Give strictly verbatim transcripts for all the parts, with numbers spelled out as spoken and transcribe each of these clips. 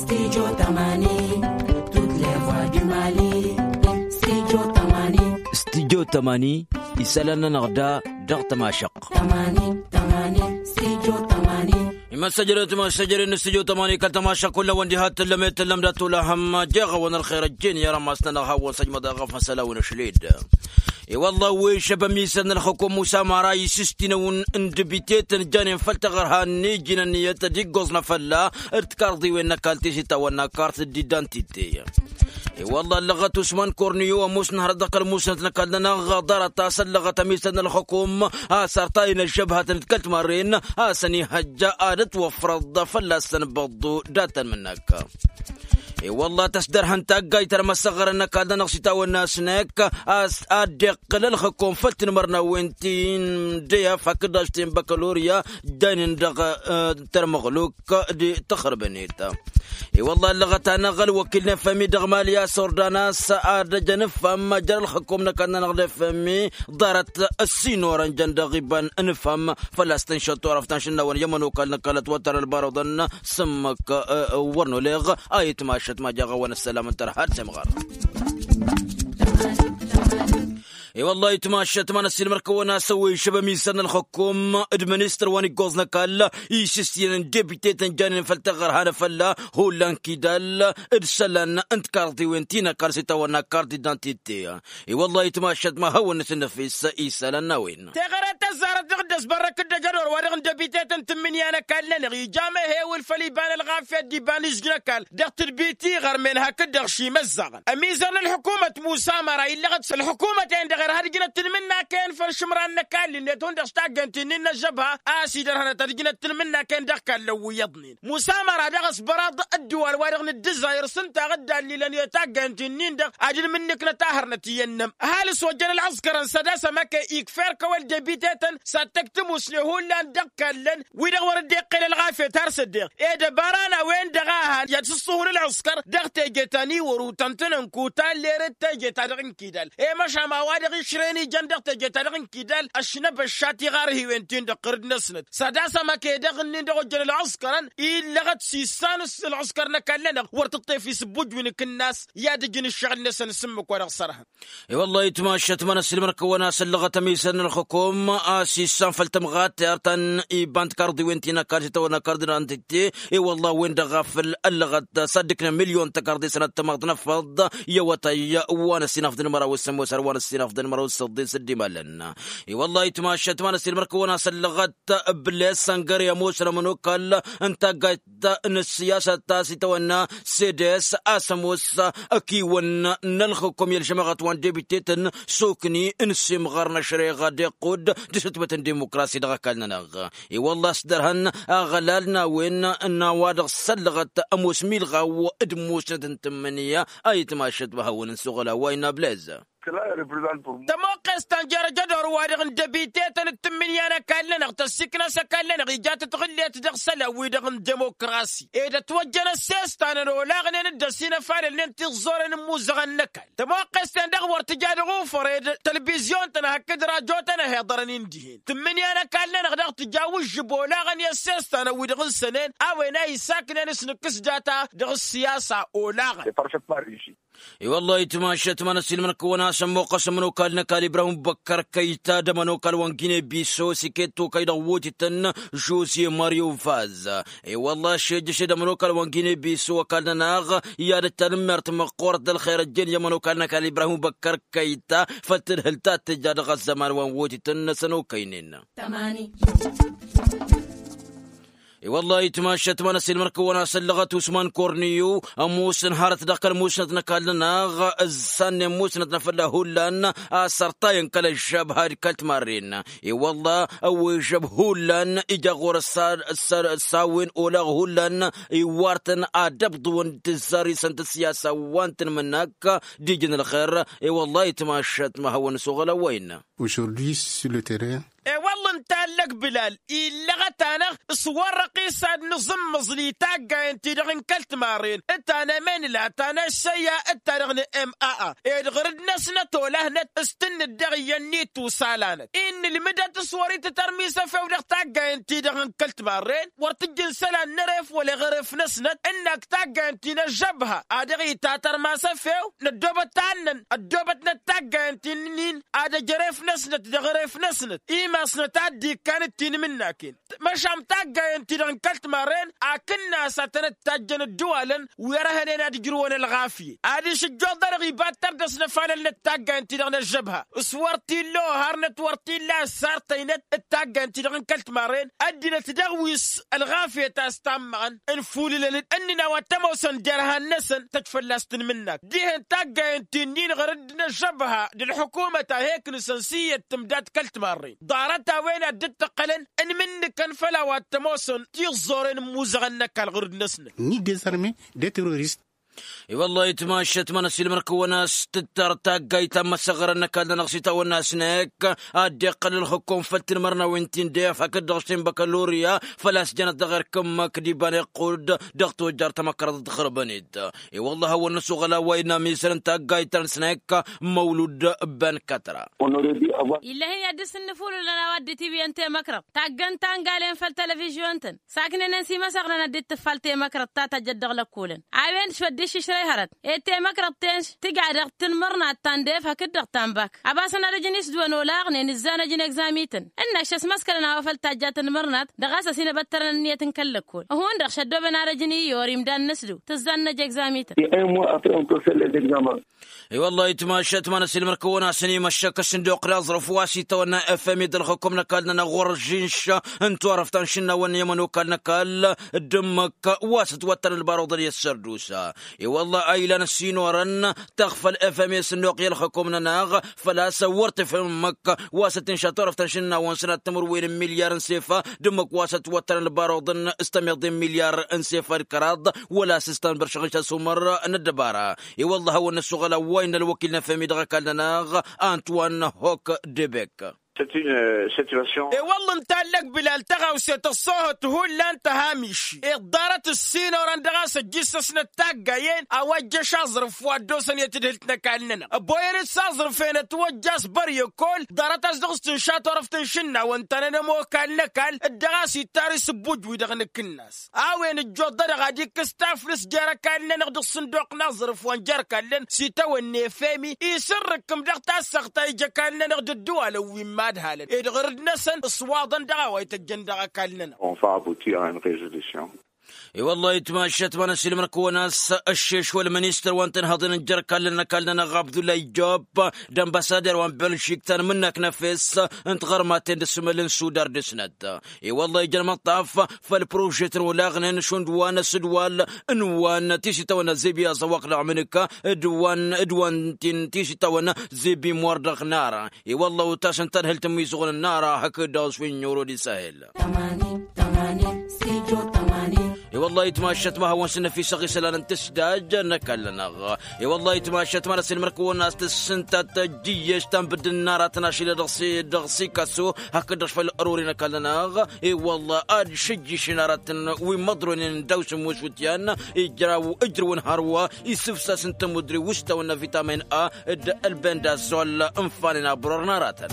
Studio tămani. Tut levoi du mali. Studio tămani. Studio tămani. Isălan-nănăɣ da dăɣ-tămašăɣt. Tămani tămani. Studio tămani. Imăssăjărăt imăssăjărăt n-studio tămani kăl-tămašăɣt kull-awăn diha tǝllăm i-tǝllăm dat-olăhăm. Jeɣ-awăn ălxer ăjjeen i-arămas-nănăɣ hawăn-săjmăḍ aɣăf n-isălan wi n-ašled. I-wălla wi šăb ămisăd n-ălxukum musa mara isǝstinăwăn n-debite-tăn janen făll-taɣărha n-iji n-ănniyăt ad-iggoẓ n-afălla d-tikarḍiwen n-ăkall tisitawăn n-akart d-idantite. I-wălla ăllăɣăt usman korniyu ămoos n-hărăt dăɣ-kăl-musnăt n-ăkall-nănăɣ ḍarăt a-s ăllăɣăt ămisăd n-ălxukum a-s ărtayăn ăžžăbhătăn d-kăl-timarren a-s ănihăjja ad-ătwăfrăḍ fălla-săn băḍḍu dat-ănmǝnnak. I-wălla tăsdărhăn taggayt ărmăsăɣărăn n-ăkall-nănăɣ s-itawănna s-năkk a-s ad-dd-iqqǝl ălxǝkum făll-tinmărnawen ti n-dăyăf hakd ašten băkălorya. Dănen dăɣ-tărmăɣluk d-tăxrǝbnet. I-wălla ăllăɣăt-anăɣ ălwăkil n-efămi dăɣ-mali a-s ordan a-s ad-ăj ănǝfhăm jer-ălxǝkum n-ăkall-nănăɣ d-efămi ḍarăt ăssinorăn jăn dăɣ-iba n-ănǝfhăm făl-a-s tǝnšăt turăft ta n-išǝnnawăn i-ămănokal n-ăkall ătwăttărăn ălbarăḍăn. S-ǝmmǝk wăr n-oleɣ a itmašăt ma jaɣ-awăn ăssălam n-tărha ad-semɣăr. I-wălla itmašăt ma n-ăssiilmăr-kăwăn a-s ăwwăy šăb ămizăr n-ălxǝkum d-ministăr wa n-iggoẓ n-ăkall isǝstiyăn n-debite tăn-janen făll-taɣărha n-afălla hullan kidal d-isălan n-tikarḍiwen ti n-ăkall s-itawănna kart d-idantite. I-wălla itmašăt ma hawăn-nǝsǝnnăfis isălan n-a-wen. Teɣăre tăzzarăt dăɣ-dd-ăsbărrăk d-ăjădor wa dăɣ-n debite tăn-tǝmmǝnǝya n-ăkall-nănăɣ ija amehewǝl făll-iba n-ălɣafyăt d-iba n-izj n-ăkall dăɣ-tǝdbit iɣărmen hakd-dăɣ šimăzzaɣăn ămizăr n-ălḥukumăt musa măra illăɣăt s-ălḥukumăt-en-dăɣ irha ad-ǝjnăt tǝlmǝnnak-en făll-išǝmran n-ăkall-net hundăɣ s-taggăynt-in-in n-ăžžăbha a-s idărhănăt ad-ǝjnăt tǝlmǝnnak-en dăɣ-kallăn wi iyyăḍnen. Musa măra daɣ ăsbăraḍ ădduwal-wa-dăɣ n-ǝddǝzzayăr s-ǝnta a dd-allilăn i-taggăynt-in-in-dăɣ ad-ǝlmǝnnǝknăt ahărnăt iyyăn-nămăr ăhalǝs ojăn ălɣǝskărăn sădasăm ăkey ikfer kăwăl debite-tăn s-ad-tăkk tămusne hullan dăɣ-kallăn wi-dăɣ wăr dd-iqqel ălɣafyăt har s-ăddeɣ. Ed ăbara n-a-wen-dăɣ a han i-ad-sǝṣṣuhǝn ălɣǝskăr dăɣ-teje ta n-iwăr utăntăn n-kuta n-lerăt teje ta dăɣ-inkidal i-măšam a-wa-dăɣ išrăyăn ijăn dăɣ-teje ta dăɣ-inkidal. Ăšnăbăšša tiɣarhiwen-tin-dăɣ ɣǝrǝd-năsnăt sădasăm ăkey dăɣ-ǝnnin-dăɣ ojjăn ălɣǝskărăn illăɣăt s-issan s-ălɣǝskăr n-ăkall-nănăɣ wăr tǝṭṭef isǝbbuj wi n-akǝnnas i-ad-ǝjǝn ǝššăɣǝl-năsăn s-ǝmmǝk wa dăɣ-sărhăn. I-wăllah itmašăt ma n-ăssiilmăr-kăwăn a-s ăllăɣăt ămisăr n-ălxukum a-s issan făll-tămɣatte ar ta n-iba n-tikarḍiwen ti n-ăkall s-itawănna kard n-antitte. I-wăllah a-wen-dăɣ a făl ăllăɣăt s-ad-dd-ǝknăn milyon tăkarḍe sănăt tămaḍt n-afăḍ i-awătay wa n-ăssinafḍăn măraw s-ămoos har wa n-ăssinafḍăn măraw s-săḍḍen s-dd-imalăn. I-wăllah itmašăt ma n-ăssiilmăr-kăwăn a-s ăllăɣăt bǝlles săngăre ămoosăn ămănokal n-taggayt n-ăssiyasăt ta s-itawănna sedes a-s ămoos ăkiwăn n-ălxǝkum i-ălžămaɣăt wa n-debitetăn s-okni n-simɣăr n-ašreɣ d-iqqud d-asǝtbăt n-dimukrasi dăɣ-ăkall-nănăɣ. I-wălla a-s dărhăn aɣălal n-a-wen n-a-wa-dăɣ s-ăllăɣăt ămoos milɣaw d-musnăt n-tǝmmǝnǝya a itmašăt ma hawăn-ǝnsuɣǝl a-wa innă bǝlez. Tămoqqes ta n-jer-ajădor-wa-dăɣ n-debite-tăn d-tǝmmǝnǝya n-ăkall-nănăɣ tăssikna s-ăkall-nănăɣ ija tătɣǝllet dăɣ-isălan-wi-dăɣ n-demokrasi ed ătwăjjăn ăssestan n-olaɣnen d-ăsinăfalălnen tiẓẓoren n-imuzăɣăn n-ăkall. Tămoqqes-ten-dăɣ wăr tǝja dăɣ-ufăr ed tălbizyon-tăn hakd rajo-tăn ăhiḍărăn-in dihen tǝmmǝnǝya n-ăkall-nănăɣ daɣ tǝja wǝžžǝb olaɣăn i-ăssestan-wi-dăɣ n-sănen a-wen a isaknen s-nǝkkǝs data dăɣ-ăssiyasa olaɣăn. I-wăllah itmašăt ma n-ăssiilmăr-kăwăn a-s ămmuqqăs ămănokal n-ăkall ibrahim băkkăr kăyta d-ămănokal wa n-gine biso s-iket tokăy dăɣ-wotităn žoze mario vaz. I-wăllah ašejjăš d-ămănokal wa n-gine biso ăkall-nănăɣ i-ad-ăj tanǝmmert măqqoorăt d-ălxer ăjjeen i-ămănokal n-ăkall ibrahim băkkăr kăyta făll-tǝdhǝl ta t-tǝja dăɣ-ăzzăman wa n-wotităn n-asănokăynen. I-wăllah itmašăt ma n-ăssiilmăr-kăwăn a-s ăllăɣăt usman korniyu ămoosăn hărăt dăɣ-kăl-musnăt n-ăkall-nănăɣ ǝzzannen musnăt n-afălla hullan a-s ărtayăn kăl-ăžžăb had kăl-timarren. I-wăllah ăwwăy ăžžăb hullan ija ɣur-ăssa ăssa wen olaɣ hullan iwwartăn ad-ăbḍǝwăn d-tǝzzar-isăn tǝssiyasa wa n-tǝnmǝnnak d-ijǝn ălxer. I-wăllah itmašăt ma hawăn-ăsoɣăl ăwwăy-năn. Aujourd'hui sur le terrain. I-wăllah ǝnta Allăk bilal illăɣăt-anăɣ s-wăr-răqqis ad-nǝẓǝmmǝẓǝl i-taggayen-ti-dăɣ n-kăl-timarren ǝttan emenǝla ta n-ăššăyya ǝtta-dăɣ n-ema. Ed ɣǝrǝd-năsnăt olahnăt s-tǝnnǝd dăɣ-iyyăn n-itusa lanăt-i n-nǝlmǝdăt s-wăr-itǝtărmi s-efew dăɣ-taggayen-ti-dăɣ n-kăl-timarren wăr tǝjjǝn isălan n-eref wăla iɣăref-năsnăt ǝnnak taggayen-ti n-ăžžăbha a dăɣ-itatărma s-efew. Năddoobăt tannăn ăddoobătnăt taggayen-ti-nin ad-ăj eref-năsnăt dăɣ-eref-năsnăt imasnăt a dd-ikkan d-tinmǝnnaken. Măšan taggayen-ti-dăɣ n-kăl-timarren akǝnnas ad-tănăt-tajjăn ǝddǝwalăn wi ărhănen ad-ǝjrǝwăn ălɣafyăt ad-išǝjjoḍ-anăɣ iba d-tărdăs n-ăfalălnăt taggayen-ti-dăɣ n-ăžžăbha s-wăr t-illa oharnăt wăr t-illa ăssartăynăt d-taggayen-ti-dăɣ n-kăl-timarren ăddinăt dăɣ-wi s-ălɣafyăt a-s tammăɣăn ǝnfulǝlăn-dd ǝnnǝn a-wa t-ămoosăn derhan-năsăn tăj fălla-s tǝnmǝnnak dihen taggayen-ti-nin ɣărădd n-ăžžăbha d-ălḥukumăt a he-iknǝsăn s-iyyăt tǝmdat kăl-timarren. Ḍarăt a-wen a dd-ǝttăqqălăn ǝnmǝnnǝkăn făll-a-wa t-ămoosăn tiẓẓoren ǝmmuzăɣăn n-ăkall ɣur-dd-năsnăt. Ni dezărme de terorist. I-wăllah itmašăt ma n-ăsilmăr-kăwăn a-s tǝttar taggayt ta n-imăsăɣrăn n-ăkall-nănăɣ s-itawănna s-năyăkk ad-dd-iqqăl ǝlxǝkkum făll-tinmărnawen ti n-def hakd-dăɣ s-tinbăkăl oriya făl-a-s jănăt dăɣ-erk ǝmmǝk d-iba n-iqqud dăɣ-tujjar tamăkrăḍt ɣǝrbăn-dd. I-wăllah a hawăn-năsuɣăl a-wa innă amisăr n-taggayt ta n-snăyăkk măwlud. Băn kătra. Illăh-in i-ad-dd-sǝnnǝfulǝlăn a-wa dd-itiwǝyăn temăkrăḍt taggăn ta n-galen făll-telăvižyon-tăn saknen-en s-imăsăɣrăn ad-dd-tǝffal temăkrăḍt ta tăjjăt dăɣ-lăkkolăn a-wen šfădd iššǝšrăy hărăt ed temăkrăḍt-ten tǝja dăɣ-tanmărnat ta n-def hakd-dăɣ ta n-bak. Ăbasăn ad-ăjǝn isdǝwăn olaɣnen ǝzzanăj n-egzamităn ǝnnaš ăsmăskălăn a-wa făl tajja tanmărnat dăɣ-a-s ăsinăbăttărăn ǝnniyăt n-kăl-lăkkol hundăɣ šăddooben ad-ăjǝn iyyăr imdan n-ǝsdǝw tǝzzannăj egzamităn. I-wăllah itmašăt ma n-ăsilmăr-kăwăn a-s ănimăššăk ăssinduq n-aẓrǝf wa s-itawănna efemi d-ălxǝkum n-ăkall-nănăɣ ɣur-ăžžinš n-turăft ta n-išǝnnawăn i-ămănokal n-ăkall d-ǝmmǝk wa s-ǝtwăttăn ălbaruḍăn i-ăssărdusa. I-wăllah a ilan ăssinorăn tăɣfăl efemi ăssinduq i-ălxǝkum-nănăɣ făl-a-s wăr tǝfhǝm ǝmmǝk wa s-ăttinša turăft ta n-išǝnnawăn sănat timǝrwen n-milyar n-sefa d-ǝmmǝk wa s-ătwăttăn ălbaruḍăn s-tămiḍe n-milyar n-sefa d-kăraḍ wăla s-ǝstan băršăɣ n-išasumăr n-ăddăbara. I-wăllah a hawăn-năsuɣăl a-wa innă ălwăkil n-efemi dăɣ-ăkall-nănăɣ antoine hok debek. I-wălla ǝnta allăk bilal tăɣawse tăṣṣohăt hullan tăhamiši iḍḍarăt ǝssin orăn dăɣ-a-s ăjjǝssăsnăt taggayen a-wa ǝjjăš aẓrǝf wa ăddoosăn i-tadhǝlt n-ăkall-nănăɣ ăboyăn-dd s-aẓrǝf-en ătwăjja a-s băryăkol ḍarăt a-s dăɣ-s tǝnša turăft n-išǝnnawăn ta n-ănămokal n-ăkall d-dăɣ-a-s ittar isǝbbuj-wi-dăɣ n-akǝnnas. A-wen ǝjjoḍ-dăɣ ad-ikkǝs taflǝst jer-ăkall-nănăɣ dăɣ-sǝnduq n-aẓrǝf wa n-jer-kallăn s-itawănna efemi isǝrrǝkkǝm dăɣ-tassăɣt ta ija ăkall-nănăɣ d-ǝddǝwalăn wi n-imadhalăn ed ɣărăd-năsăn ǝṣwaḍăn dăɣ-a-wa ităjjăn dăɣ-ăkall-nănăɣ. I-wăllah itmašăt ma n-ăsilmăr-kăwăn a-s ăššeš wăla ministăr wa n-tinhăḍen n-jer-kallăn ăkall-nănăɣ abdullah ijab d-ănbăsader wa n-belžik ta n-imǝnnak n-efes n-tiɣărmaten d-asǝmăl n-sudar dăr-snăt. I-wăllah ija ălmăṭṭaf făll-prožet n-olaɣnen šund wa n-asǝdwal n-wa n-tisitawăn azebi aẓăwaq dăɣ-amǝnǝka d-wa n-ti n-tisitawăn zebi imwar dăɣ-nara. I-wăllah otas n-tadhǝlt n-imizăɣăn n-nara hakd-dăɣ-s wi n-oro d-isahel. I-wăllah itmašăt ma hawăn-sǝnnăfisăɣ isălan n-tǝsdaj n-ăkall-nănăɣ. I-wăllah itmašăt ma n-ăsilmăr-kăwăn a-s tǝssǝntat ăjjǝyyeš ta n-bǝddǝn n-aratăn ašilă dăɣ-s dăɣ-s ikăsu hakd-dăɣ făll-ărori n-ăkall-nănăɣ. I-wăllah ad-šǝjjǝšen aratăn wi n-imăḍronen n-daw-s n-muswǝtyan ijraw ǝjrǝwăn hărwa isǝfsas n-tămudre wa s-tawănna vitamin a d-ălbendazol ǝnfanen abăror n-aratăn.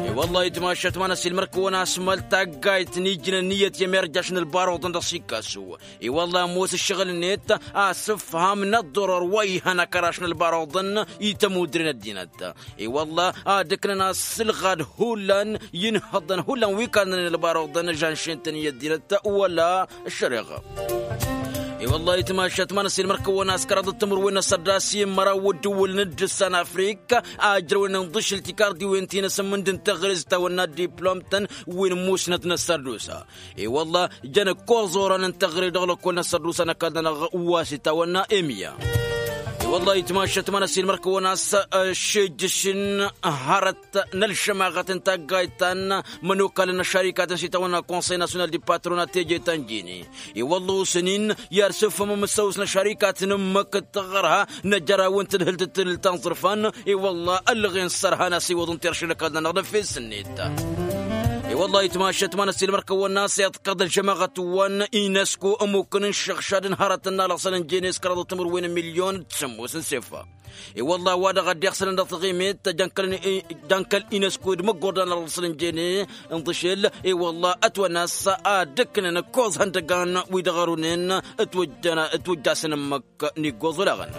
I-wăllah itmašăt ma n-ăsilmăr-kăwăn a-s măl taggayt n-ijnăn iyyăt i-emerjaš n-ălbaruḍăn dăɣ-s ikăsu. I-wăllah ămoos ǝššăɣǝl-net asǝfham n-ăḍḍărăr wa ihăn akăraš n-ălbaruḍăn i-tămudre n-ăddinăt. I-wăllah ad-ǝknăn asǝlɣad hullan i-inhăḍăn hullan wi kannănen ălbaruḍăn žanšen-tăn i-ăddinăt wăla ăššăreɣa. I-wăllah itmašăt ma n-ăsilmăr-kăwăn a-s kăraḍăt timǝrwen n-asăddas i-măraw ǝddǝwǝl n-dd-ǝssan afrik a ǝjrăwnen ǝnḍǝšǝl tikarḍiwen ti n-asǝmmǝnd n-teɣre s-tawănna diplom-tăn wi n-musnăt n-asărdusa. I-wălla jăn ǝkkoẓ orăn n-teɣre dăɣ-lăkkol n-asărdusa n-ăkall-nănăɣ wa s-itawănna emya. I-wălla itmašăt ma n-ăsilmăr-kăwăn a-s ăššejjǝšǝn hărăt n-ălšămaɣăt n-taggayt ta n-imănokalăn n-ăššarikat n-s-itawănna konsăy nasyonal di patronat teje ta n-jini. I-wălla osăn-in i-ad-sǝfhǝmăm ǝssăwǝs n-ăššarikat n-ǝmmǝk d-taɣărha n-ajăraw n-tadhǝlt d-tadhǝlt ta n-iẓrǝfan. I-wălla ălɣen s-ărhan a-s iwǝḍăn terše n-ăkall-nănăɣ d-efes-net. Wăllah itmašăt ma n-ăssiilmăr-kăwăn n-aseḍ kăḍăl žămaɣăt-wăn inesku ămmukăn n-iššăɣšad n-hărătăn n-alăɣsăn n-jenes kăraḍ timǝrwen n-milyon d-sămmos n-sefa. I-wăllah wa dăɣ-a dd-iɣsălăn dăɣ-taɣimit. Jankăl inesku d-măggordan alăɣsăn n-jenes n-tăšel. I-wăllah ătwănna a-s ad-ǝknăn ǝkkoẓ ihăndăgan wi dăɣ-ărunen ătwăjjasăn ǝmmǝk n-iggoẓ olaɣăn.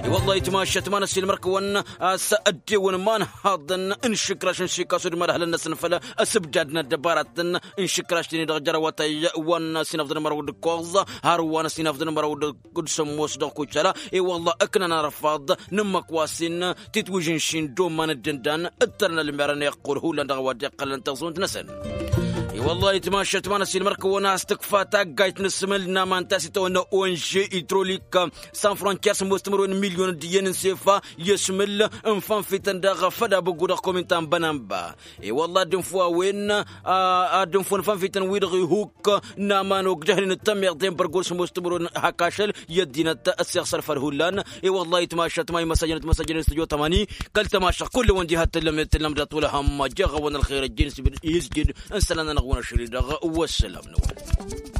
I-wăllah itmašăt ma n-ăssiilmăr-kăwăn a-s ăddewăn imanhaḍăn n-išǝkraš n-sikasu d-imadhălăn-năsăn făll-asǝbjad n-ăddăbaratăn n-išǝkraš-ten-i-dăɣ jer-awătay wa n-sinăfḍăn măraw d-ǝkkoẓ har wa n-sinăfḍăn măraw d-sămmos dăɣ-kucala. I-wăllah ǝknăn arăfaḍ n-ǝmmǝk wa s-in titwǝžǝnšin d-omman d-ǝndan ǝttărăn ălmerăn iqqul hullan dăɣ-a-wa dd-iqqălăn taẓunt-năsăn. I-wăllah itmašăt ma n-ăssiilmăr-kăwăn a-s tǝkfa taggayt n-asǝmǝl n-aman ta s-itawănna onže idrolik san frontier sămmos timǝrwen n-milyon d-iyyăn n-sefa i-asǝmǝl n-fanfităn daɣ făd abǝggu dăɣ-komin ta n-bănanba. I-wăllah ad-dd-infǝw a-wen ad-dd-infǝw n-fanfităn-wi-dăɣ ihuk n-aman ogdăhnen d-tămiḍe n-bărgol sămmos timǝrwen hak ašăl i-ăddinăt ăssiɣsăr făll-hullan. I-wăllah itmašăt ma imăsajăn timăsajăn s-tǝjot ămani kăl-tămašăɣ kull-wăn diha t-tǝllăm i-tǝllăm dat-wăla hăm jeɣ-awăn ălxer ăjjin s-izjǝd n-isălan-nănăɣ-wăn ašăl-i-dăɣ. Wăssălam-năwăn.